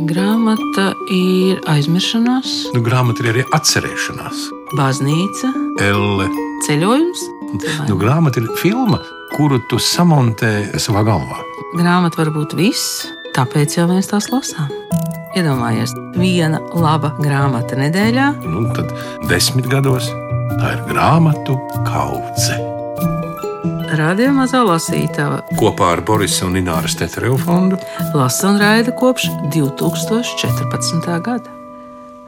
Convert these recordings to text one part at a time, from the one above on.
Grāmata ir aizmiršanās, Grāmata ir arī atcerēšanās. baznīca, Elle. ceļojums. Grāmata ir filma, kuru tu samontē savā galvā. Grāmata var būt viss, tāpēc jau mēs tās lasām. Iedomājies, viena laba grāmata nedēļā. Tad 10 gados tā ir grāmatu kaudze. Radio Mazā lasītava Kopā ar Borisa un Ināras Tetereva fondu lasa un raida kopš 2014. gada.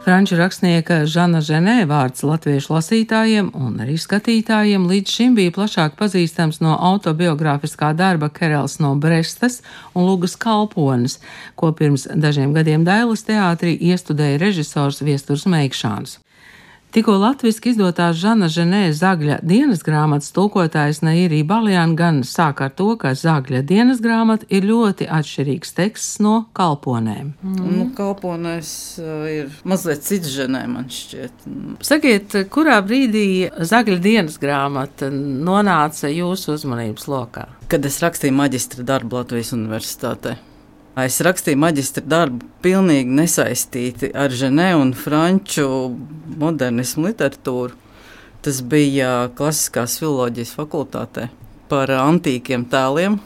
Franču rakstnieka Žana Ženē vārds latviešu lasītājiem un arī skatītājiem līdz šim bija plašāk pazīstams no autobiogrāfiskā darba Kerels no Brestas un Lugas Kalpones, ko pirms dažiem gadiem Dailas teātrī iestudēja režisors Viesturs Meikšāns. Tikko latviski izdotās Žana Ženē Zagļa dienas grāmatas tulkotājs Nairī Baljāna gan sāk ar to, ka Zagļa dienas grāmata ir ļoti atšķirīgs teksts no Kalponēm. Kalponēs ir mazliet cits Ženē, man šķiet. Sakiet, kurā brīdī Zagļa dienas grāmata nonāca jūsu uzmanības lokā? Kad es rakstīju maģistra darbu Latvijas Universitātē. Es rakstīju maģistra darbu pilnīgi nesaistīti ar Ženē un franču modernismu literatūru. Tas bija klasiskās filoloģijas fakultātē par antīkiem tēliem,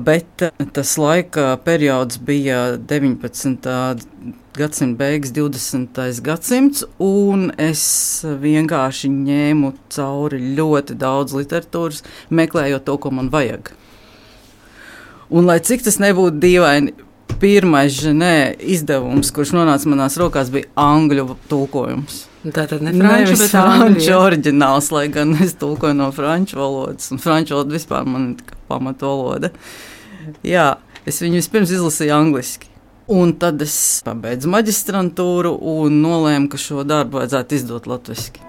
bet tas laika periods bija 19. gadsimta beigas, 20. gadsimts, un es vienkārši ņēmu cauri ļoti daudz literatūras, meklējot to, ko man vajag. Un, lai cik tas nebūtu dīvaini, pirmais Ženē izdevums, kurš nonāca manās rokās, bija angļu tulkojums. Tātad ne franču, bet franču oriģināls, lai gan es tulkoju no franču valodas, un franču valoda vispār man ir pamatu valoda. Jā, es viņu vispirms izlasīju angliski. Un tad es pabeidzu maģistrantūru un nolēmu, ka šo darbu vajadzētu izdot latviski.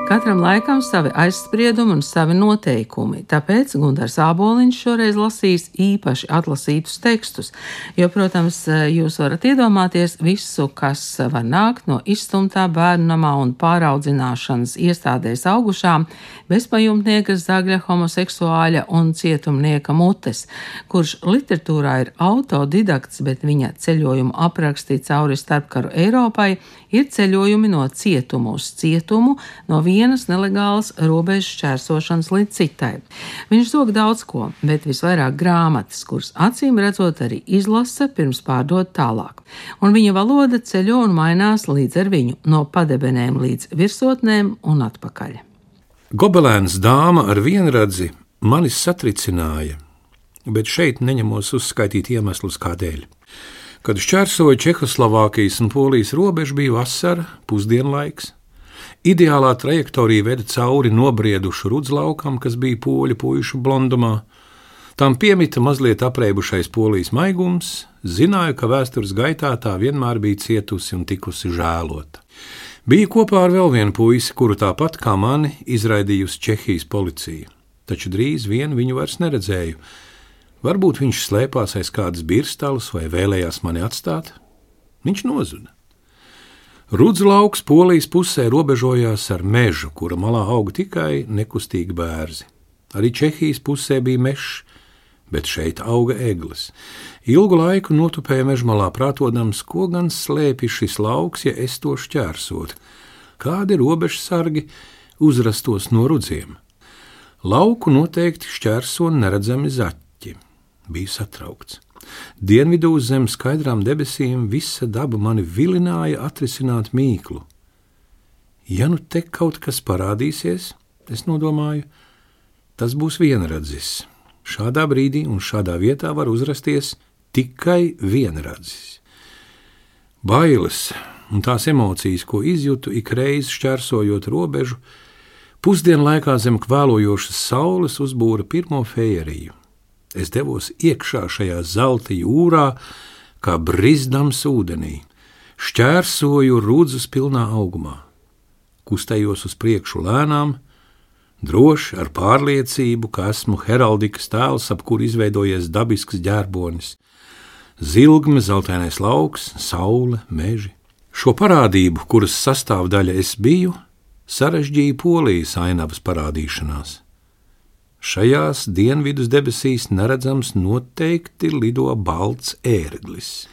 Katram laikam savi aizspriedumi un savi noteikumi, tāpēc Gundars Āboliņš šoreiz lasīs īpaši atlasītus tekstus, jo, protams, jūs varat iedomāties visu, kas var nākt no izstumtā bērnamā un pāraudzināšanas iestādēs augušām bezpajumtnieka Zagļa homoseksuāļa un cietumnieka mutes, kurš literatūrā ir autodidakts, bet viņa ceļojumu aprakstī cauri starpkaru Eiropai ir ceļojumi no cietumu uz cietumu, no vienas nelegālas robežas šķērsošanas līdz citai. Viņš zog daudz ko, bet visvairāk grāmatas, kuras acīm redzot arī izlasa pirms pārdot tālāk. Un viņa valoda ceļo un mainās līdz ar viņu, no padebenēm līdz virsotnēm un atpakaļ. Gobelēns dāma ar vienradzi manis satricināja, bet šeit neņemos uzskaitīt iemeslus kādēļ. Kad šķērsoja Čehoslovākijas un Polijas robežu, bija vasara, pusdienlaiks. Ideālā trajektorija veda cauri nobriedušu rudzlaukam, kas bija poļu puišu blondumā. Tam piemita mazliet apreibušais Polijas maigums, zināja, ka vēstures gaitā tā vienmēr bija cietusi un tikusi žēlota. Bija kopā ar vēl vienu puisi, kuru tāpat kā mani izraidījusi Čehijas policija, taču drīz vien viņu vairs neredzēju. Varbūt viņš slēpās aiz kādas birstalas vai vēlējās mani atstāt? Viņš nozuda. Rudzlauks Polijas pusē robežojās ar mežu, kura malā auga tikai nekustīgi bērzi. Arī Čehijas pusē bija mežs, bet šeit auga egles. Ilgu laiku notupēja mežmalā prātodams, ko gan slēpj šis lauks, ja es to šķērsotu. Kādi robežsargi uzrastos no rudziem? Lauku noteikti šķērso neredzami zaķi. Biju satraukts. Dienvidū zem skaidrām debesīm visa daba mani vilināja atrisināt mīklu. Ja nu te kaut kas parādīsies, es nodomāju, tas būs vienradzis. Šādā brīdī un šādā vietā var uzrasties tikai vienradzis. Bailes un tās emocijas, ko izjūtu ikreiz šķērsojot robežu, pusdienlaikā zem kvēlojošas saules uzbūra pirmo fejeriju. Es devos iekšā šajā zelta jūrā, kā brizdams ūdenī, šķērsoju rudzus pilnā augumā, kustējos uz priekšu lēnām, droši ar pārliecību, ka esmu heraldikas tēls, ap kuru izveidojies dabisks ģērbonis, zilgme, zeltainais lauks, saule, meži. Šo parādību, kuras sastāvdaļa es biju, sarežģīja Polijas ainavas parādīšanās. Šajās dienvidus debesīs neredzams noteikti lido balts ērglis.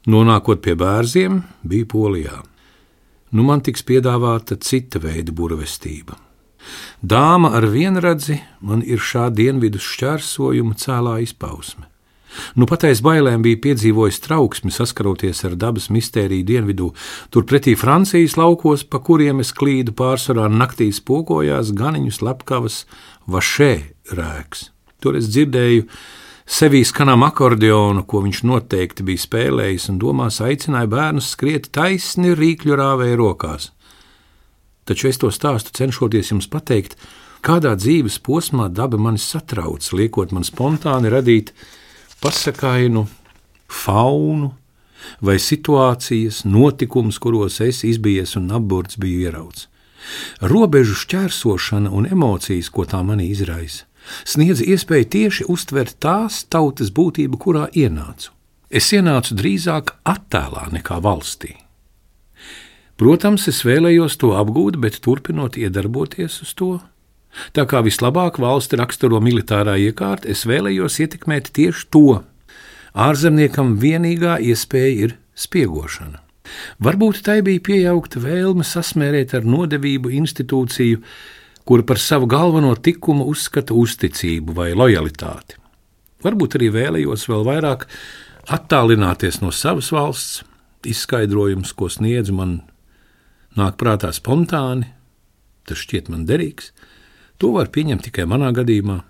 Nonākot pie Bērziem, bija Polijā. Nu man tiks piedāvāta cita veida burvestība. Dāma ar vienradzi man ir šā dienvidus šķērsojuma cēlā izpausme. Nu pat aiz bailēm bija piedzīvojis trauksmi saskaroties ar dabas mistēriju dienvidū, turpretī Francijas laukos, pa kuriem es klīdu pārsvarā naktīs pokojās ganiņu slepkavas vašē rēks. Tur es dzirdēju sevī skanām akordeonu, ko viņš noteikti bija spēlējis, un domās aicināja bērnus skriet taisni rīkļu rāvēja rokās. Taču es to stāstu cenšoties jums pateikt, kādā dzīves posmā daba mani satrauc, liekot man spontāni radīt pasakainu, faunu vai situācijas, notikums, kuros es izbijies un apburts biju ierauts. Robežu šķērsošana un emocijas, ko tā manī izraisa, sniedz iespēju tieši uztvert tās tautas būtību, kurā ienācu. Es ienācu drīzāk attēlā nekā valstī. Protams, es vēlējos to apgūt, bet turpinot iedarboties uz to, tā kā vislabāk valsti raksturo militārā iekārta, es vēlējos ietekmēt tieši to. Ārzemniekam vienīgā iespēja ir spiegošana. Varbūt tai bija pieaugta vēlme sasmērēt ar nodevību institūciju, kura par savu galveno tikumu uzskata uzticību vai lojalitāti. Varbūt arī vēlējos vēl vairāk attālināties no savas valsts, izskaidrojums, ko sniedz man, nāk prātā spontāni, tas šķiet man derīgs. To var pieņemt tikai manā gadījumā.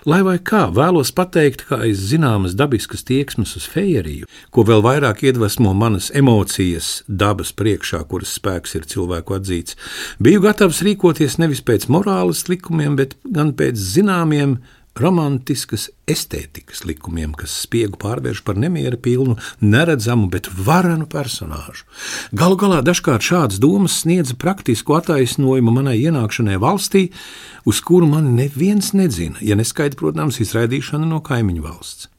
Lai vai kā, vēlos pateikt, ka aiz zināmas dabiskas tieksmes uz fejeriju, ko vēl vairāk iedvesmo manas emocijas dabas priekšā, kuras spēks ir cilvēku atzīts, biju gatavs rīkoties nevis pēc morāles likumiem, bet gan pēc zināmiem romantiskas estētikas likumiem, kas spiegu pārvērš par nemiera pilnu, neredzamu, bet varenu personāžu. Galu galā dažkārt šādas domas sniedza praktisku attaisnojumu manai ienākšanai valstī, uz kuru mani neviens nedzina, ja neskaita, protams, izraidīšana no kaimiņu valsts.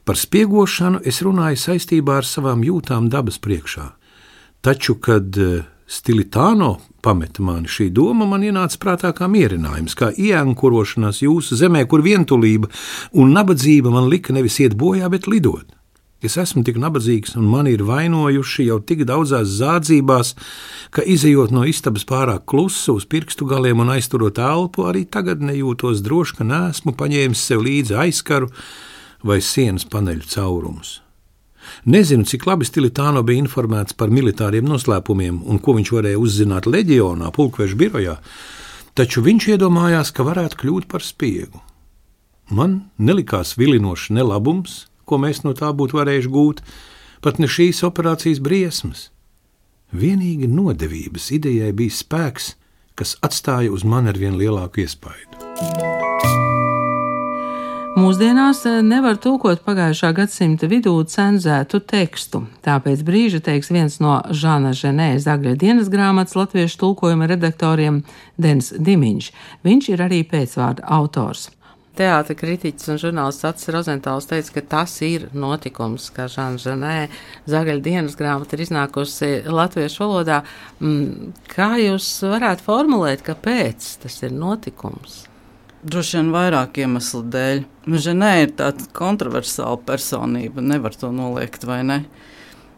Par spiegošanu es runāju saistībā ar savām jūtām dabas priekšā. Taču, kad Stilitāno pameta mani, šī doma man ienāca prātā kā mierinājums, kā ieankurošanās jūsu zemē, kur vientulība un nabadzība man lika nevis iet bojā, bet lidot. Es esmu tik nabadzīgs un mani ir vainojuši jau tik daudzās zādzībās, ka izejot no istabas pārāk klusu uz pirkstu galiem un aizturot elpu, arī tagad nejūtos droši, ka neesmu paņēmis sev līdzi aizkaru vai sienas paneļu caurumus. Nezinu, cik labi Stilitāno bija informēts par militāriem noslēpumiem un ko viņš varēja uzzināt leģionā, pulkveža birojā, taču viņš iedomājās, ka varētu kļūt par spiegu. Man nelikās vilinošs ne labums, ko mēs no tā būtu varējuši gūt, pat ne šīs operācijas briesmas. Vienīgi nodevības idejai bija spēks, kas atstāja uz mani arvien lielāku iespaidu. Mūsdienās nevar tulkot pagājušā gadsimta vidū cenzētu tekstu, tāpēc brīža teiks viens no Žana Ženē Zagļa dienas grāmatas latviešu tulkojuma redaktoriem Denis Dimiņš. Viņš ir arī pēcvārda autors. Teātra kritiķis un žurnālists Acis Rozentāls teica, ka tas ir notikums, ka Žana Ženē Zagļa dienas grāmata ir iznākusi latviešu valodā. Kā jūs varētu formulēt, kāpēc tas ir notikums? Droši vien vairāk iemeslu dēļ. Ženē ir tāda kontroversāla personība, nevar to noliegt, vai ne?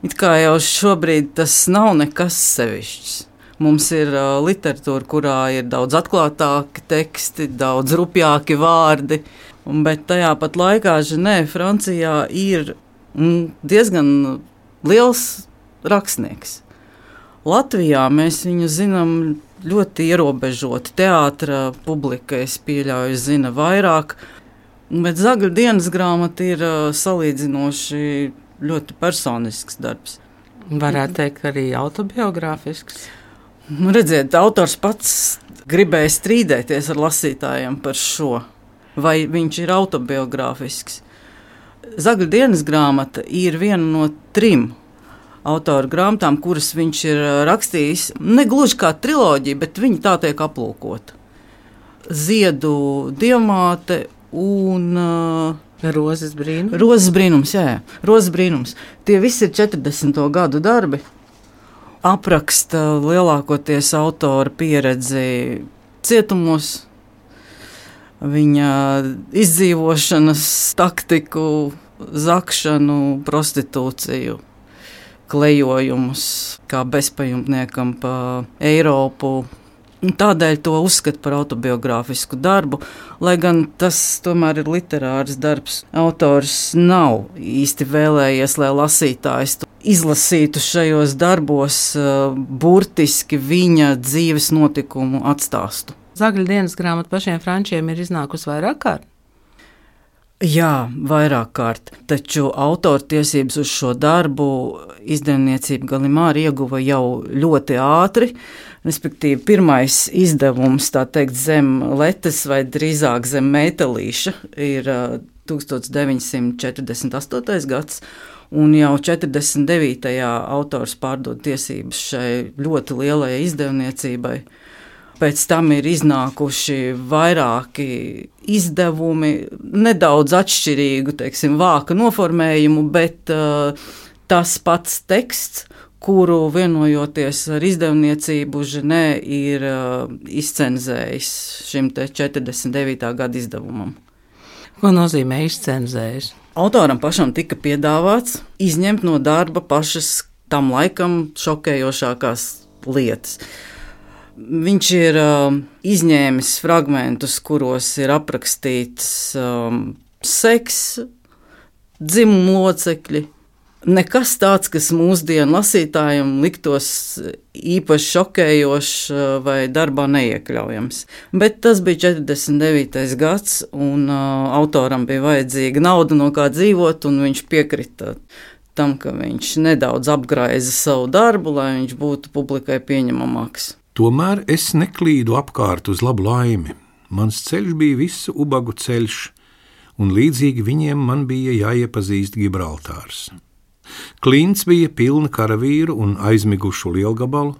It kā jau šobrīd tas nav nekas sevišķs. Mums ir literatūra, kurā ir daudz atklātāki teksti, daudz rupjāki vārdi, bet tajā pat laikā Ženē Francijā ir diezgan liels rakstnieks. Latvijā mēs viņu zinām ļoti ierobežoti. Teātra publika, es pieļauju, zina vairāk, bet Zagļa dienas grāmata ir salīdzinoši ļoti personisks darbs. Varētu teikt, arī autobiogrāfisks. Redziet, autors pats gribēja strīdēties ar lasītājiem par šo, vai viņš ir autobiogrāfisks. Zagļa dienas grāmata ir viena no 3 autora grāmatām, kuras viņš ir rakstījis, ne gluži kā triloģija, bet viņa tā tiek aplūkota. Ziedu diamāte un Rozes brīnums. Rozes brīnums, jā. Rozes brīnums. Tie visi ir 40. gadu darbi. Apraksta lielākoties autora pieredzi cietumos, viņa izdzīvošanas taktiku, zakšanu, prostitūciju, klejojumus kā bezpajumtniekam pa Eiropu. Tādēļ to uzskata par autobiogrāfisku darbu, lai gan tas tomēr ir literārs darbs. Autors nav īsti vēlējies, lai lasītājs izlasītu šajos darbos burtiski viņa dzīves notikumu atstāstu. Zagļa dienas grāmata pašiem frančiem ir iznākusi vairāk kārt? Jā, vairāk kārt, taču autortiesības uz šo darbu izdevniecība Gallimard ieguva jau ļoti ātri. Respektīvi, pirmais izdevums, tā teikt, zem letes vai drīzāk zem metālīša ir 1948. gads, un jau 49. autors pārdod tiesības šai ļoti lielajai izdevniecībai. Pēc tam ir iznākuši vairāki izdevumi, nedaudz atšķirīgu, teiksim, vāka noformējumu, bet tas pats teksts, kuru vienojoties ar izdevniecību Ženē ir izcenzējis šim 49. gada izdevumam. Ko nozīmē izcenzējis? Autoram pašam tika piedāvāts izņemt no darba pašas tam laikam šokējošākās lietas. Viņš ir izņēmis fragmentus, kuros ir aprakstīts seks, dzimumu locekļi. Nekas tāds, kas mūsdienu lasītājiem liktos īpaši šokējošs vai darbā neiekļaujams. Bet tas bija 49. gads, un autoram bija vajadzīga nauda, no kā dzīvot, un viņš piekrita tam, ka viņš nedaudz apgraiza savu darbu, lai viņš būtu publikai pieņemamāks. Tomēr es neklīdu apkārt uz labu laimi. Mans ceļš bija visu ubagu ceļš, un līdzīgi viņiem man bija jāiepazīst Gibraltārs. Klints bija pilna karavīru un aizmigušu lielgabalu.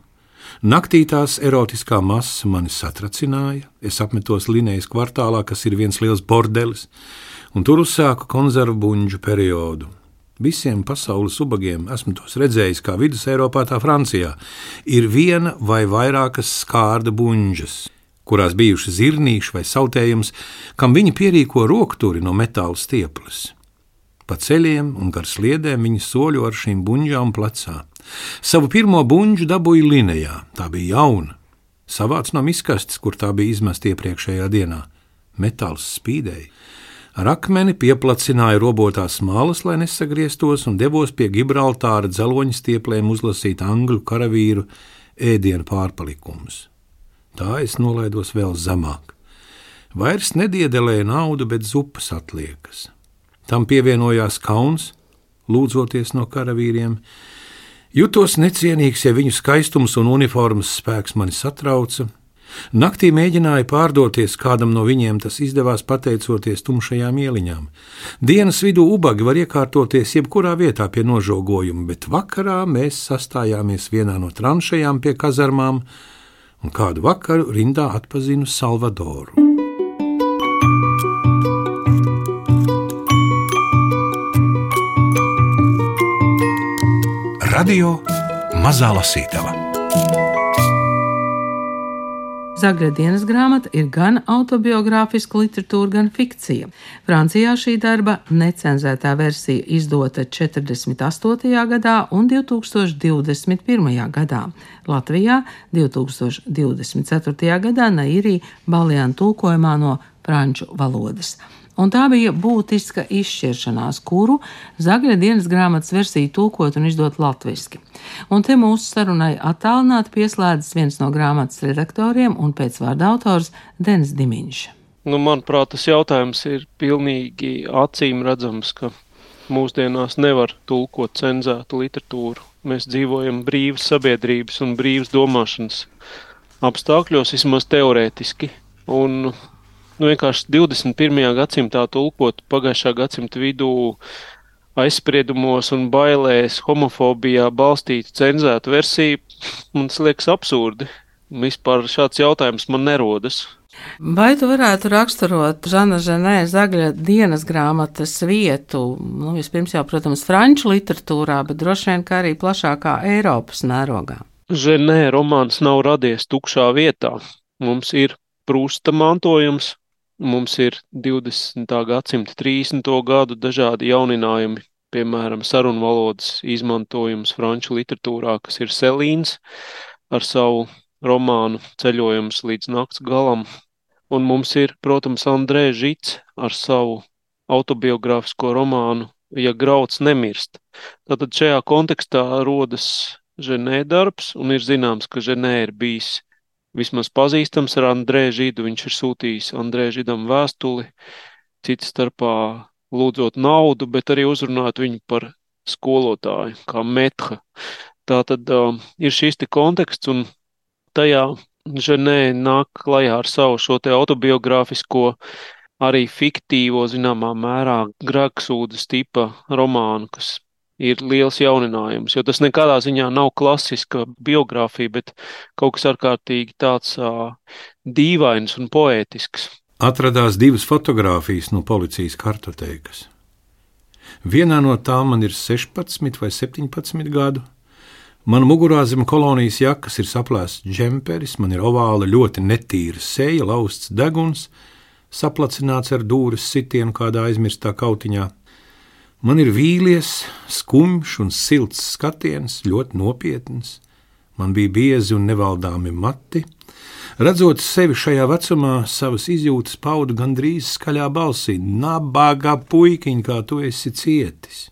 Naktī tās erotiskā masa mani satracināja. Es apmetos Linējas kvartālā, kas ir viens liels bordelis, un tur uzsāku konzervu buņģu periodu. Visiem pasaules ubagiem, esmu tos redzējis kā vidus Eiropā, tā Francijā, ir viena vai vairākas skārda buņģas, kurās bijuši zirnīši vai sautējums, kam viņi pierīko rokturi no metāla stieples. Pa ceļiem un gar sliedēm viņi soļo ar šīm buņģām plecā. Savu pirmo buņģu dabūju Linējā, tā bija jauna. Savāc no miskastes, kur tā bija izmesta iepriekšējā dienā. Metāls spīdēja. Ar akmeni pieplacināju robotās malas, lai nesagrieztos, un devos pie Gibraltāra dzeloņa stieplēm uzlasīt angļu karavīru ēdienu pārpalikumus. Tā es nolaidos vēl zemāk. Vairs nediedelēju naudu, bet zupas atliekas. Tam pievienojās kauns, lūdzoties no karavīriem. Jutos necienīgs, ja viņu skaistums un uniformas spēks mani satrauca. Naktī mēģināju pārdoties kādam no viņiem, tas izdevās pateicoties tumšajām ieliņām. Dienas vidū ubagi var iekārtoties jebkurā vietā pie nožogojuma, bet vakarā mēs sastājāmies vienā no tranšajām pie kazarmām, un kādu vakaru rindā atpazinu Salvadoru. Radio Mazā lasītava. Zagļa dienas grāmata ir gan autobiogrāfiska literatūra, gan fikcija. Francijā šī darba necenzētā versija izdota 48. gadā un 2021. gadā. Latvijā 2024. gadā Nairī Baljāna tulkojumā no franču valodas. Un tā bija būtiska izšķiršanās, kuru Zagļa dienas grāmatas versiju tulkot un izdot latviski. Un te mūsu sarunai attālināti pieslēdzas viens no grāmatas redaktoriem un pēcvārda autors Denis Dimiņš. Manuprāt, tas jautājums ir pilnīgi acīm redzams, ka mūsdienās nevar tulkot cenzētu literatūru. Mēs dzīvojam brīvas sabiedrības un brīvas domāšanas apstākļos, vismaz teorētiski. Un vienkārši 21. gadsimtā tulkot pagājušā gadsimta vidū aizspriedumos un bailēs, homofobijā balstītu cenzētu versiju, man tas liekas absurdi. Vispār šāds jautājums man nerodas. Vai tu varētu raksturot Žana Ženē Zagļa dienas grāmatas vietu, vispirms jau, protams, franču literatūrā, bet droši vien kā arī plašākā Eiropas mērogā? Ženē romāns nav radies tukšā vietā. Mums ir Prusta mantojums, Mums ir 20. gadsimta 30. gadu dažādi jauninājumi, piemēram, sarunvalodas izmantojums franču literatūrā, kas ir Selīns ar savu romānu Ceļojums līdz nakts galam. Un mums ir, protams, Andrē Žits ar savu autobiogrāfisko romānu Ja grauds nemirst. Tātad šajā kontekstā rodas Ženē darbs, un ir zināms, ka Ženē ir bijis vismaz pazīstams ar Andrē Židu. Viņš ir sūtījis Andrē Židam vēstuli, cits starpā lūdzot naudu, bet arī uzrunāt viņu par skolotāju, kā metha. Tātad ir šis te konteksts, un tajā Ženē nāk klajā ar savu šo te autobiogrāfisko, arī fiktīvo, zināmā mērā, grēksūdas tipa romānu, kas ir liels jauninājums, jo tas nekādā ziņā nav klasiska biogrāfija, bet kaut kas ārkārtīgi tāds dīvains un poētisks. Atradās 2 fotogrāfijas no policijas kartotēkas. Vienā no tām man ir 16 vai 17 gadu. Man mugurā zem kolonijas jakas ir saplēsts džemperis, man ir ovāla ļoti netīra seja, lausts deguns, saplacināts ar dūres sitienu kādā aizmirstā kautiņā. Man ir vīlies, skumjš un silts skatiens, ļoti nopietns. Man bija biezi un nevaldāmi mati. Redzot sevi šajā vecumā, savas izjūtas paudu gandrīz skaļā balsī: nabaga puikiņ, kā tu esi cietis.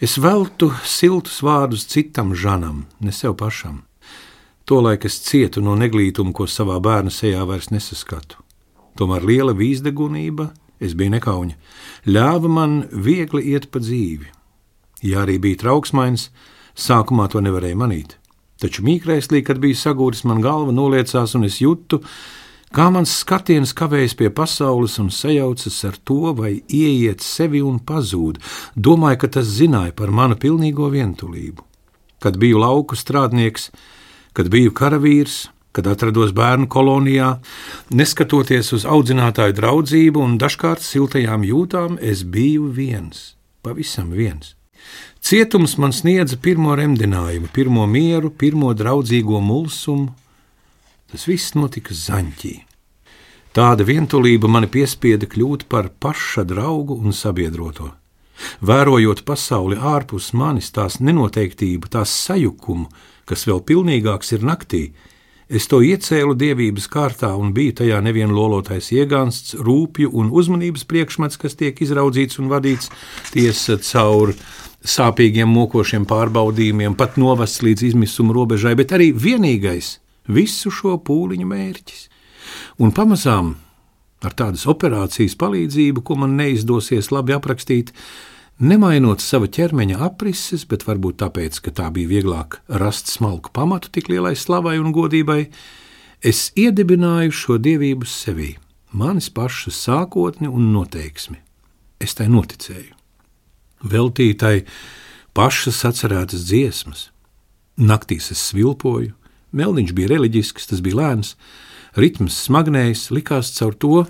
Es veltu siltus vārdus citam Žanam, ne sev pašam. Tolaik es cietu no neglītuma, ko savā bērna sejā vairs nesaskatu. Tomēr liela vīzdegunība, es biju nekauņa, ļāva man viegli iet pa dzīvi. Ja arī bija trauksmains, sākumā to nevarēja manīt. Taču mīkrēslī, kad bija sagūris, man galva noliecās, un es jūtu, kā mans skatiens kavējas pie pasaules un sajaucas ar to, vai ieiet sevi un pazūd. Domāju, ka tas zināja par manu pilnīgo vientulību. Kad biju lauku strādnieks, kad biju karavīrs, kad atrados bērnu kolonijā, neskatoties uz audzinātāju draudzību un dažkārt siltajām jūtām, es biju viens, pavisam viens. Cietums man sniedza pirmo remdinājumu, pirmo mieru, pirmo draudzīgo mulsumu. Tas viss notika Zaņķī. Tāda vientulība mani piespieda kļūt par paša draugu un sabiedroto. Vērojot pasauli ārpus manis, tās nenoteiktību, tās sajukumu, kas vēl pilnīgāks ir naktī, es to iecēlu dievības kārtā un biju tajā nevien lolotais iegānsts, rūpju un uzmanības priekšmets, kas tiek izraudzīts un vadīts tiesa caur sāpīgiem mokošiem pārbaudījumiem, pat novests līdz izmisuma robežai, bet arī vienīgais visu šo pūliņu mērķis. Un pamazām ar tādas operācijas palīdzību, ko man neizdosies labi aprakstīt, nemainot sava ķermeņa aprises, bet varbūt tāpēc, ka tā bija vieglāk rast smalku pamatu tik lielai slavai un godībai, es iedibināju šo dievību sevī, manis pašas sākotni un noteiksmi. Es tai noticēju. Veltītai pašas atcerētas dziesmas. Naktīs es svilpoju, meldiņš bija reliģisks, tas bija lēns, ritms smagnējs, likās caur to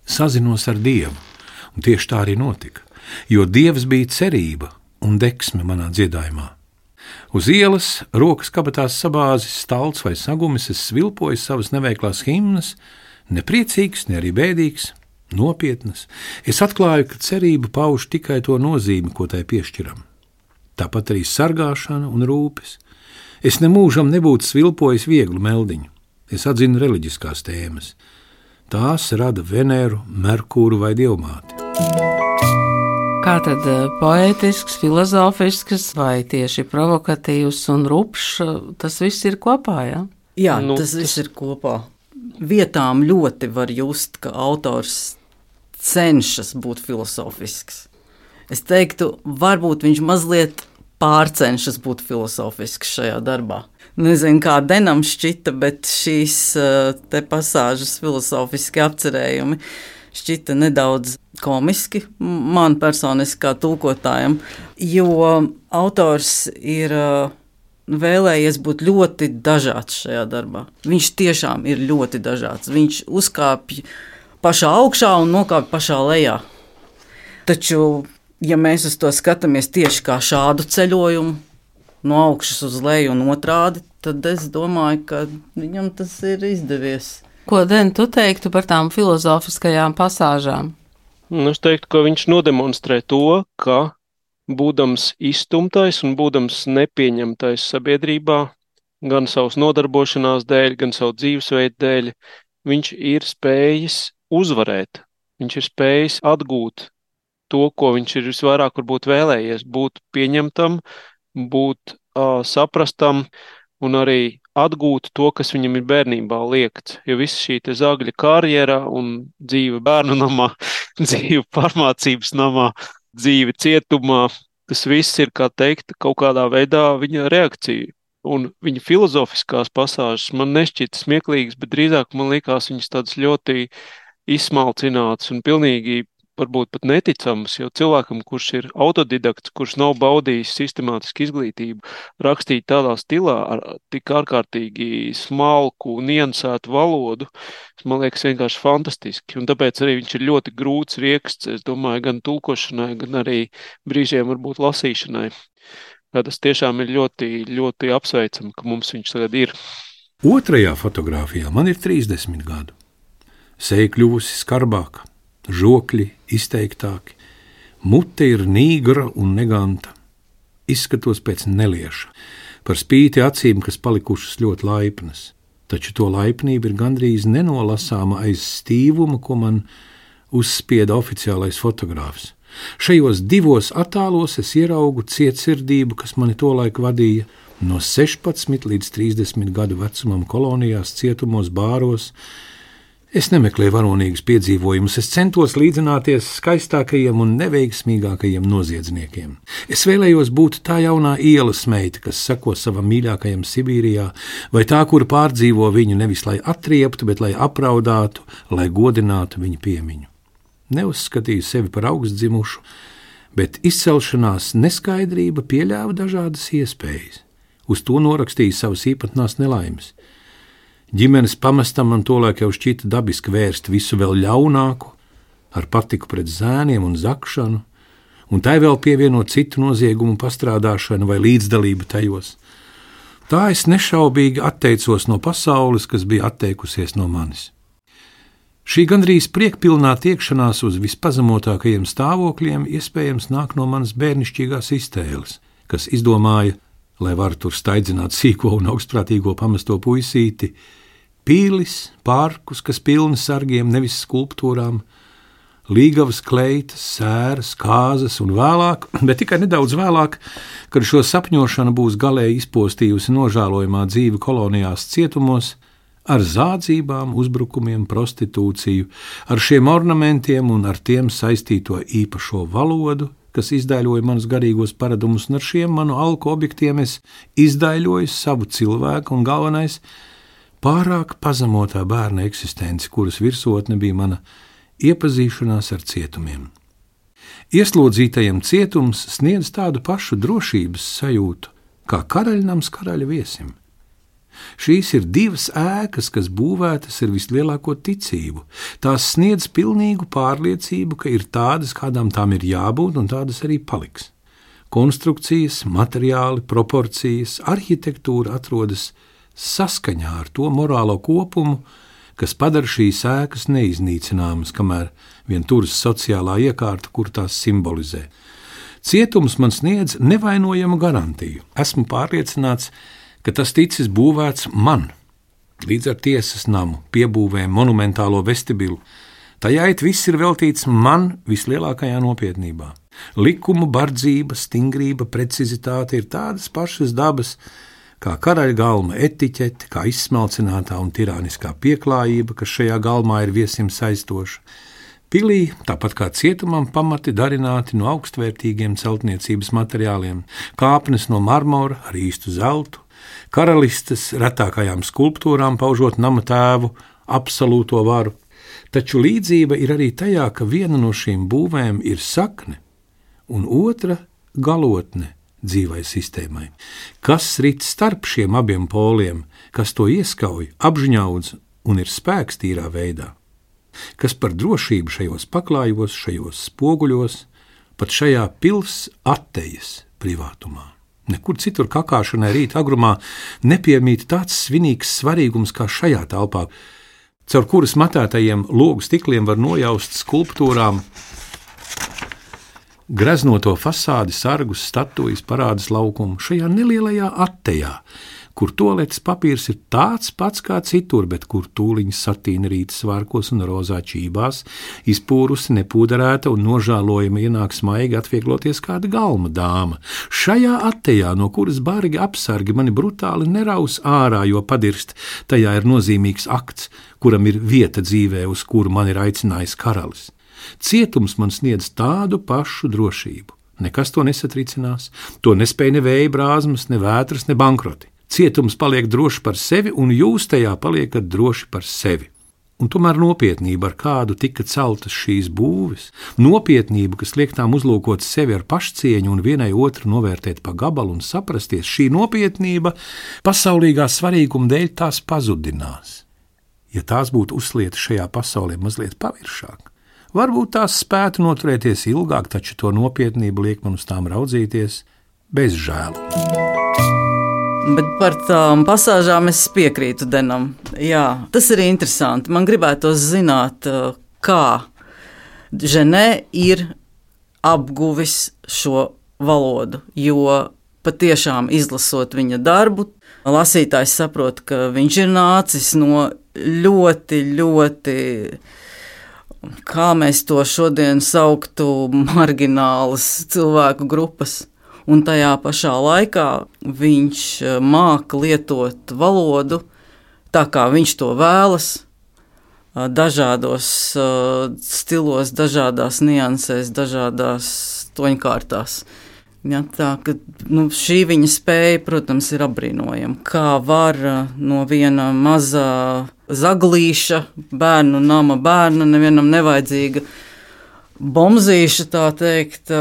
sazinos ar Dievu, un tieši tā arī notika. Jo Dievs bija cerība un deksme manā dziedājumā. Uz ielas, rokas kabatās sabāzis, stalts vai sagumis, es svilpoju savas neveiklās himnas, nepriecīgs, ne arī bēdīgs, nopietnas. Es atklāju, ka cerība pauž tikai to nozīmi, ko tai piešķiram. Tāpat arī sargāšana un rūpes. Es nemūžam nebūtu svilpojis vieglu meldiņu. Es atzinu reliģiskās tēmas. Tās rada Veneru, Merkūru vai Dievmāti. Kā tad poētisks, filozofisks vai tieši provokatīvs un rupšs, tas viss ir kopā, ja? Jā, tas viss ir kopā. Vietām ļoti var just, ka autors cenšas būt filozofisks. Es teiktu, varbūt viņš mazliet pārcenšas būt filozofisks šajā darbā. Nezinu, kā Denam šķita, bet šīs te pasāžas filozofiski apcerējumi šķita nedaudz komiski man personiski kā tulkotājam, jo autors ir vēlējies būt ļoti dažāds šajā darbā. Viņš tiešām ir ļoti dažāds. Viņš uzkāpj pašā augšā un nokāpj pašā lejā. Taču, ja mēs uz to skatāmies tieši kā šādu ceļojumu, no augšas uz leju un otrādi, tad es domāju, ka viņam tas ir izdevies. Ko, Den, tu teiktu par tām filozofiskajām pasāžām? Es teiktu, ka viņš nodemonstrē to, ka būdams izstumtais un būdams nepieņemtais sabiedrībā, gan savas nodarbošanās dēļ, gan savu dzīvesveidu dēļ, viņš ir spējis uzvarēt. Viņš ir spējis atgūt to, ko viņš ir visvairāk varbūt vēlējies, būt pieņemtam, būt saprastam un arī atgūt to, kas viņam ir bērnībā liekts. Jo viss šī te zagļa karjera un dzīve bērnu namā, dzīve pārmācības namā, dzīve cietumā, tas viss ir, kā teikt, kaut kādā veidā viņa reakcija. Un viņa filozofiskās pasāžas man nešķita smieklīgas, bet drīzāk man likās viņas tādas ļoti izsmalcinātas un pilnīgi varbūt pat neticamas, jo cilvēkam, kurš ir autodidakts, kurš nav baudījis sistemātisku izglītību, rakstīt tādā stilā ar tik ārkārtīgi smalku, niansētu valodu, man liekas vienkārši fantastiski. Un tāpēc arī viņš ir ļoti grūts rieksts, es domāju, gan tulkošanai, gan arī brīžiem varbūt lasīšanai. Tas tiešām ir ļoti, ļoti apsveicami, ka mums viņš tagad ir. Otrajā fotogrāfijā man ir 30 gadu. Seja kļuvusi skarbāka, žokļi izteiktāki, mute ir nīgra un neganta. Izskatos pēc nelieša, par spīti acīm, kas palikušas ļoti laipnas. Taču to laipnība ir gandrīz nenolasāma aiz stīvuma, ko man uzspieda oficiālais fotogrāfs. Šajos divos attēlos es ieraugu cietsirdību, kas mani tolaik vadīja no 16 līdz 30 gadu vecumam kolonijās, cietumos, bāros. Es nemeklēju varonīgus piedzīvojumus, es centos līdzināties skaistākajiem un neveiksmīgākajiem noziedzniekiem. Es vēlējos būt tā jaunā ielas meita, kas seko savam mīļākajam Sibīrijā, vai tā, kura pārdzīvo viņu nevis lai atrieptu, bet lai apraudātu, lai godinātu viņa piemiņu. Neuzskatīju sevi par augstdzimušu, bet izcelšanās neskaidrība pieļāva dažādas iespējas. Uz to norakstīju savas īpatnās nelaimes. Ģimenes pamestam man tolaik jau šķita dabiski vērst visu vēl ļaunāku, ar patiku pret zēniem un zakšanu, un tai vēl pievienot citu noziegumu pastrādāšanu vai līdzdalību tajos. Tā es nešaubīgi atteicos no pasaules, kas bija atteikusies no manis. Šī gandrīz priekpilnā tiekšanās uz vispazemotākajiem stāvokļiem iespējams nāk no manas bērnišķīgās iztēles, kas izdomāja, lai var tur staidzināt sīko un augstprātīgo pamesto puisīti, pīlis, parkus, kas pilni sargiem, nevis skulptūrām, līgavas kleitas, sēras, kāzas un vēlāk, bet tikai nedaudz vēlāk, kad šo sapņošanu būs galēji izpostījusi nožēlojamā dzīve kolonijās cietumos, ar zādzībām, uzbrukumiem, prostitūciju, ar šiem ornamentiem un ar tiem saistīto īpašo valodu, kas izdaiļoja manus garīgos paradumus, un ar šiem manu alku objektiem es izdaiļoju savu cilvēku un galvenais pārāk pazemotā bērna eksistenci, kuras virsotne bija mana iepazīšanās ar cietumiem. Ieslodzītajam cietums sniedz tādu pašu drošības sajūtu, kā karaļnams karaļa viesim. Šīs ir divas ēkas, kas būvētas ar vislielāko ticību. Tās sniedz pilnīgu pārliecību, ka ir tādas, kādām tām ir jābūt, un tādas arī paliks. Konstrukcijas, materiāli, proporcijas, arhitektūra atrodas saskaņā ar to morālo kopumu, kas padara šīs ēkas neiznīcināmas, kamēr vien turas sociālā iekārta, kur tās simbolizē. Cietums man sniedz nevainojamu garantiju. Esmu pārliecināts, ka tas ticis būvēts man, līdz ar tiesas namu, piebūvēm, monumentālo vestibilu. Tajā viss ir veltīts man vislielākajā nopietnībā. Likumu bardzība, stingrība, precizitāte ir tādas pašas dabas, kā karaļa galma etiķete, kā izsmalcinātā un tirāniskā pieklājība, kas šajā galmā ir viesim saistoša. Pilī, tāpat kā cietumam, pamati darināti no augstvērtīgiem celtniecības materiāliem, kāpnes no marmora ar īstu zeltu, karalistes retākajām skulptūrām paužot nama tēvu absolūto varu. Taču līdzība ir arī tajā, ka viena no šīm būvēm ir sakne un otra galotne dzīvai sistēmai. Kas rit starp šiem abiem poliem, kas to ieskauj, apžņaudz un ir spēks tīrā veidā? Kas par drošību šajos paklājos, šajos spoguļos, pat šajā pils attejas privātumā? Nekur citur kakāšanai rīt agrumā nepiemīt tāds svinīgs svarīgums kā šajā telpā. caur kuras matētajiem logu stikliem var nojaust skulptūrām greznoto fasādi, sargus, statujas, parādas laukumu šajā nelielajā attejā, kur tualetes papīrs ir tāds pats kā citur, bet kur tūliņas satīna rītas svārkos un rozā čībās, izpūrusi, nepūderēta un nožēlojama ienāk smaigi atviegloties kāda galma dāma. Šajā attejā, no kuras bargi apsargi mani brutāli neraus ārā, jo padirst, tajā ir nozīmīgs akts, kuram ir vieta dzīvē, uz kuru man ir aicinājis karalis. Cietums man sniedz tādu pašu drošību. Nekas to nesatricinās, to nespēj ne vēja brāzmas, ne vētras, ne bankroti. Cietums paliek droši par sevi, un jūs tajā paliekat droši par sevi. Un tomēr nopietnība, ar kādu tika celtas šīs būves, nopietnība, kas liek tām uzlūkot sevi ar pašcieņu un vienai otru novērtēt pa gabalu un saprasties, šī nopietnība pasaulīgā svarīguma dēļ tās pazudinās. Ja tās būtu uzlietas šajā pasaulē mazliet paviršāk, varbūt tās spētu noturēties ilgāk, taču to nopietnību liek man uz tām raudzīties bez žēlu. Bet par tām pasāžām es piekrītu Denam. Jā, tas ir interesanti. Man gribētos zināt, kā Ženē ir apguvis šo valodu, jo patiešām izlasot viņa darbu, lasītājs saprot, ka viņš ir nācis no ļoti, kā mēs to šodien sauktu, marginālas cilvēku grupas. Un tajā pašā laikā viņš māca lietot valodu tā, kā viņš to vēlas, dažādos stilos, dažādās niansēs, dažādās toņkārtās. Ja, tā, ka, šī viņa spēja, protams, ir apbrīnojama. Kā var no viena mazā zaglīša, bērnu nama bērna, nevienam nevajadzīga bomzīša, tā teikt,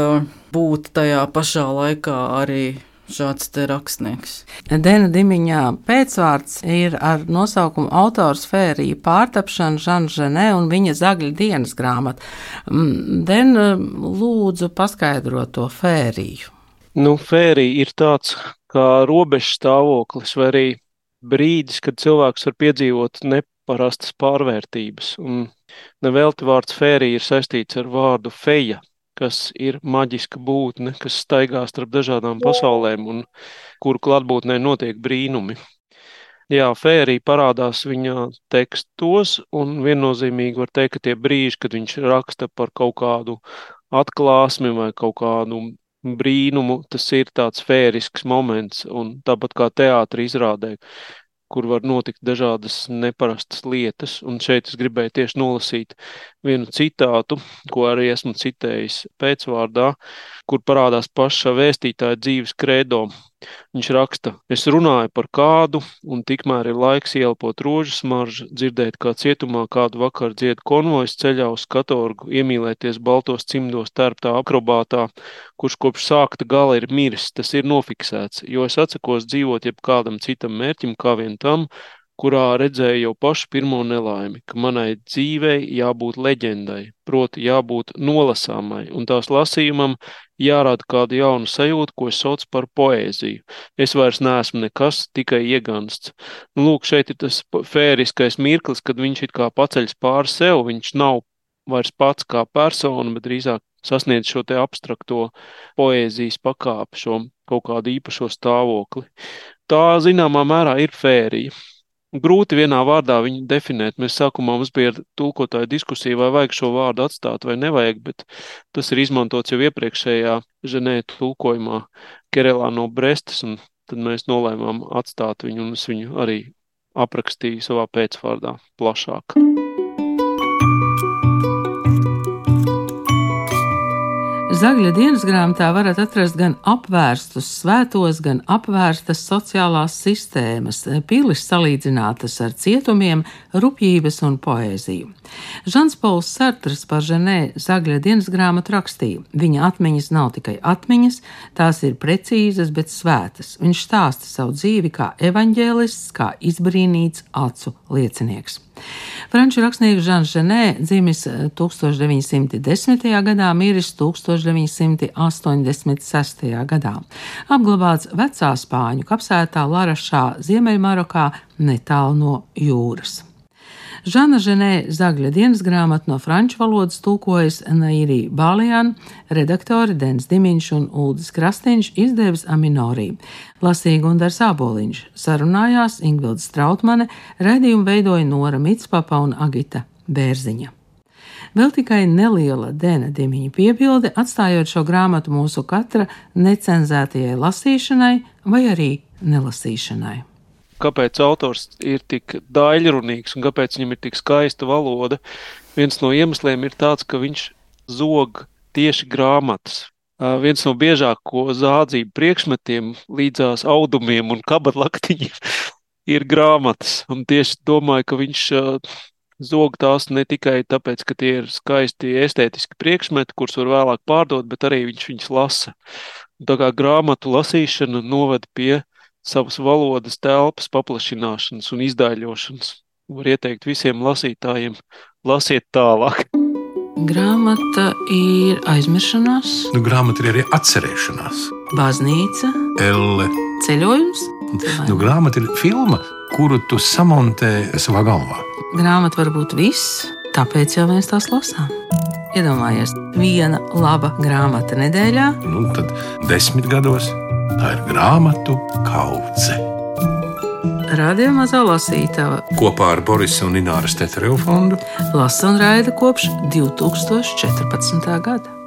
būt tajā pašā laikā arī šāds te rakstnieks. Dena Dimiņā pēcvārds ir ar nosaukumu autors Fērija pārtapšana Žans Ženē un viņa Zagļa dienas grāmata. Dena, lūdzu paskaidrot to Fēriju. Fērija ir tāds kā robežs stāvoklis vai arī brīdis, kad cilvēks var piedzīvot neparastas pārvērtības. Un nevelti vārds Fērija ir saistīts ar vārdu feja, kas ir maģiska būtne, kas staigā starp dažādām pasaulēm un kuru klātbūtnē notiek brīnumi. Jā, Fērija parādās viņa tekstos, un viennozīmīgi var teikt, ka tie brīži, kad viņš raksta par kaut kādu atklāsmi vai kaut kādu brīnumu, tas ir tāds fērisks moments, un tāpat kā teātra izrādē, kur var notikt dažādas neparastas lietas, un šeit es gribēju tieši nolasīt vienu citātu, ko arī esmu citējis pēcvārdā, kur parādās paša vēstītāja dzīves kredo. Viņš raksta: es runāju par kādu, un tikmēr ir laiks ieelpot rožu smaržu, dzirdēt, kā cietumā kādu vakaru dzied konvojs ceļā uz katorgu, iemīlēties baltos cimdos tērptā akrobātā, kurš kopš sākta gala ir miris, tas ir nofiksēts, jo es atsakos dzīvot jebkādam citam mērķim kā vien tam, kurā redzēju jau pašu pirmo nelaimi, ka manai dzīvei jābūt leģendai, proti jābūt nolasāmai, un tās lasījumam jārāda kādu jaunu sajūtu, ko es saucu par poēziju. Es vairs neesmu nekas, tikai iegansts. Lūk, šeit ir tas fēriskais mirklis, kad viņš it kā paceļas pāri sev, viņš nav vairs pats kā persona, bet drīzāk sasniedz šo te abstrakto poēzijas pakāpi, šo kaut kādu īpašo stāvokli. Tā zināmā mērā ir Fērija. Grūti vienā vārdā viņu definēt. Mēs sākumā mums bija tulkotāja diskusija, vai vajag šo vārdu atstāt vai nevajag, bet tas ir izmantots jau iepriekšējā Ženē tulkojumā Kerelā no Brestas, un tad mēs nolēmām atstāt viņu, un es viņu arī aprakstīju savā pēcvārdā plašāk. Zagļa dienas grāmatā varat atrast gan apvērstus svētos, gan apvērstas sociālās sistēmas, pilis salīdzinātas ar cietumiem, rupjības un poēziju. Žans Pols Sartrs par Ženē Zagļa dienas grāmatu rakstīja: viņa atmiņas nav tikai atmiņas, tās ir precīzas, bet svētas. Viņš stāsta savu dzīvi kā evaņģēlists, kā izbrīnīts acu liecinieks. Franču rakstnieks Žans Ženē dzimis 1910. gadā, miris 1986. gadā. Apglabāts vecā spāņu kapsētā Larašā, Ziemeļmarokā, netālu no jūras. Žana Ženē Zagļa dienas grāmatu no franču valodas tulkojas Nairī Bālijāna, redaktori Dens Dimiņš un Uldis Krastīņš, izdevis Aminorī. Lasīja Gundars Āboliņš, sarunājās Ingvilda Strautmane, raidījumu veidoja Nora Mitspapa un Agita Bērziņa. Vēl tikai neliela Dena Dimiņa piebilde, atstājot šo grāmatu mūsu katra necenzētajai lasīšanai vai arī nelasīšanai. Kāpēc autors ir tik daļrunīgs un kāpēc viņam ir tik skaista valoda? Viens no iemesliem ir tāds, ka viņš zog tieši grāmatas. Viens no biežāko zādzību priekšmetiem līdzās audumiem un kabatlaktiņiem ir grāmatas. Un tieši domāju, ka viņš zog tās ne tikai tāpēc, ka tie ir skaisti estētiski priekšmeti, kurus var vēlāk pārdot, bet arī viņš viņus lasa. Un tā kā grāmatu lasīšana noved pie savas valodas telpas paplašināšanas un izdaļošanas. Var ieteikt visiem lasītājiem, lasiet tālāk. Grāmata ir aizmiršanās, Grāmata ir arī atcerēšanās. baznīca, Elle. ceļojums. Grāmata ir filma, kuru tu samontē savā galvā. Grāmata var būt viss, tāpēc jau mēs tās lasām. Iedomājies, viena laba grāmata nedēļā. Tad 10 gados tā ir grāmatu kaudze. Radio Mazā lasītava Kopā ar Borisa un Ināras Tetereva fondu lasa un raida kopš 2014. gada.